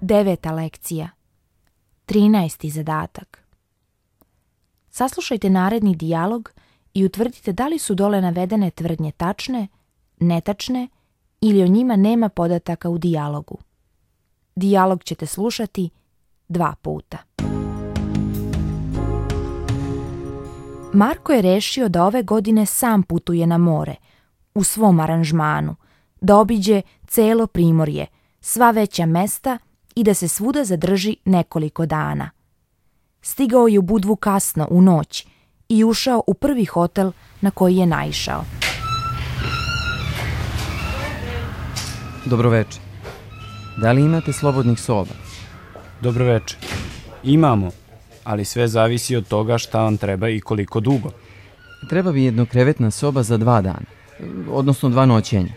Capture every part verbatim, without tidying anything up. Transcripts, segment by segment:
Deveta lekcija. Trinaesti zadatak. Saslušajte naredni dijalog i utvrdite da li su dole navedene tvrdnje tačne, netačne ili o njima nema podataka u dijalogu. Dijalog ćete slušati dva puta. Marko je rešio da ove godine sam putuje na more, u svom aranžmanu, da obiđe celo Primorje, sva veća mesta i da se svuda zadrži nekoliko dana. Stigao je u Budvu kasno u noć i ušao u prvi hotel na koji je naišao. Dobroveče. Da li imate slobodnih soba? Dobroveče. Imamo, ali sve zavisi od toga šta vam treba i koliko dugo. Treba bi jednokrevetna soba za dva dana, odnosno dva noćenja.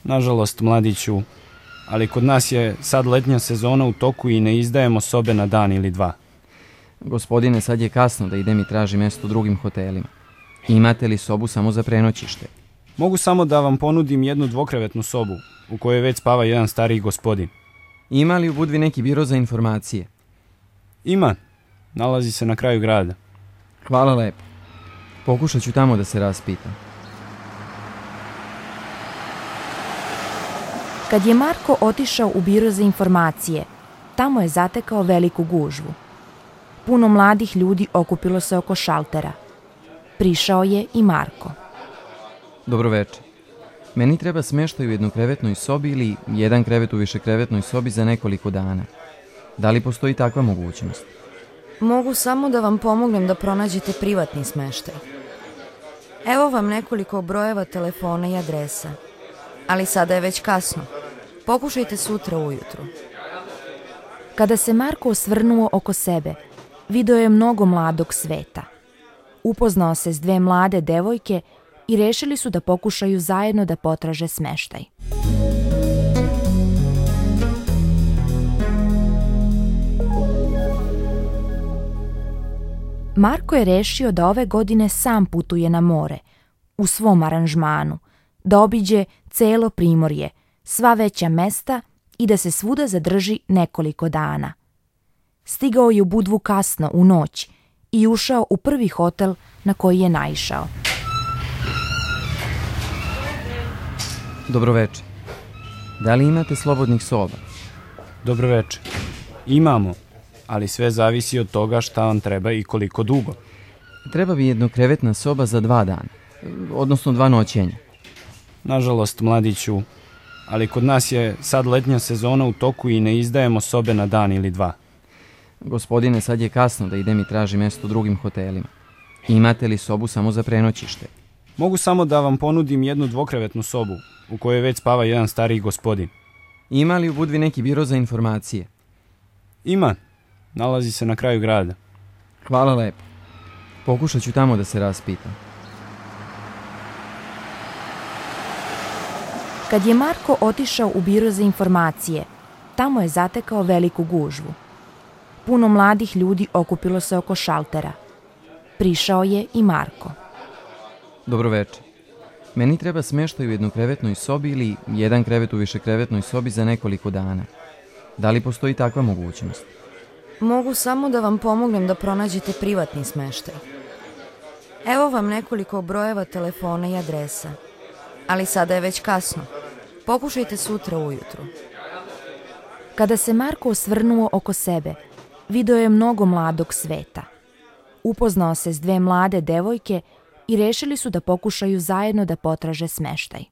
Nažalost, mladiću, ali kod nas je sad letnja sezona u toku i ne izdajemo sobe na dan ili dva. Gospodine, sad je kasno da idem i tražim mesto u drugim hotelima. Imate li sobu samo za prenoćište? Mogu samo da vam ponudim jednu dvokrevetnu sobu, u kojoj već spava jedan stariji gospodin. Ima li u Budvi neki biro za informacije? Ima. Nalazi se na kraju grada. Hvala lepo. Pokušat ću tamo da se raspitam. Kad je Marko otišao u biro za informacije, tamo je zatekao veliku gužvu. Puno mladih ljudi okupilo se oko šaltera. Prišao je i Marko. Dobroveče. Meni treba smeštaj u jednokrevetnoj sobi ili jedan krevet u višekrevetnoj sobi za nekoliko dana. Da li postoji takva mogućnost? Mogu samo da vam pomognem da pronađete privatni smeštaj. Evo vam nekoliko brojeva telefona i adresa. Ali sada je već kasno. Pokušajte sutra ujutru. Kada se Marko osvrnuo oko sebe, video je mnogo mladog sveta. Upoznao se s dve mlade devojke i rešili su da pokušaju zajedno da potraže smeštaj. Marko je rešio da ove godine sam putuje na more, u svom aranžmanu, da obiđe celo Primorje, sva veća mesta i da se svuda zadrži nekoliko dana. Stigao je u Budvu kasno u noć i ušao u prvi hotel na koji je naišao. Dobroveče. Da li imate slobodnih soba? Dobroveče. Imamo, ali sve zavisi od toga šta vam treba i koliko dugo. Treba bi jednokrevetna soba za dva dana, odnosno dva noćenja. Nažalost, mladiću, ali kod nas je sad letnja sezona u toku i ne izdajemo sobe na dan ili dva. Gospodine, sad je kasno da idem i tražim mesto u drugim hotelima. Imate li sobu samo za prenoćište? Mogu samo da vam ponudim jednu dvokrevetnu sobu, u kojoj već spava jedan stariji gospodin. Ima li u Budvi neki biro za informacije? Ima. Nalazi se na kraju grada. Hvala lepo. Pokušat ću tamo da se raspitam. Kad je Marko otišao u biro za informacije, tamo je zatekao veliku gužvu. Puno mladih ljudi okupilo se oko šaltera. Prišao je i Marko. Dobroveče. Meni treba smeštaj u jednokrevetnoj sobi ili jedan krevet u višekrevetnoj sobi za nekoliko dana. Da li postoji takva mogućnost? Mogu samo da vam pomognem da pronađete privatni smeštaj. Evo vam nekoliko brojeva telefona i adresa. Ali sada je već kasno. Pokušajte sutra ujutru. Kada se Marko osvrnuo oko sebe, video je mnogo mladog sveta. Upoznao se s dve mlade devojke i rešili su da pokušaju zajedno da potraže smeštaj.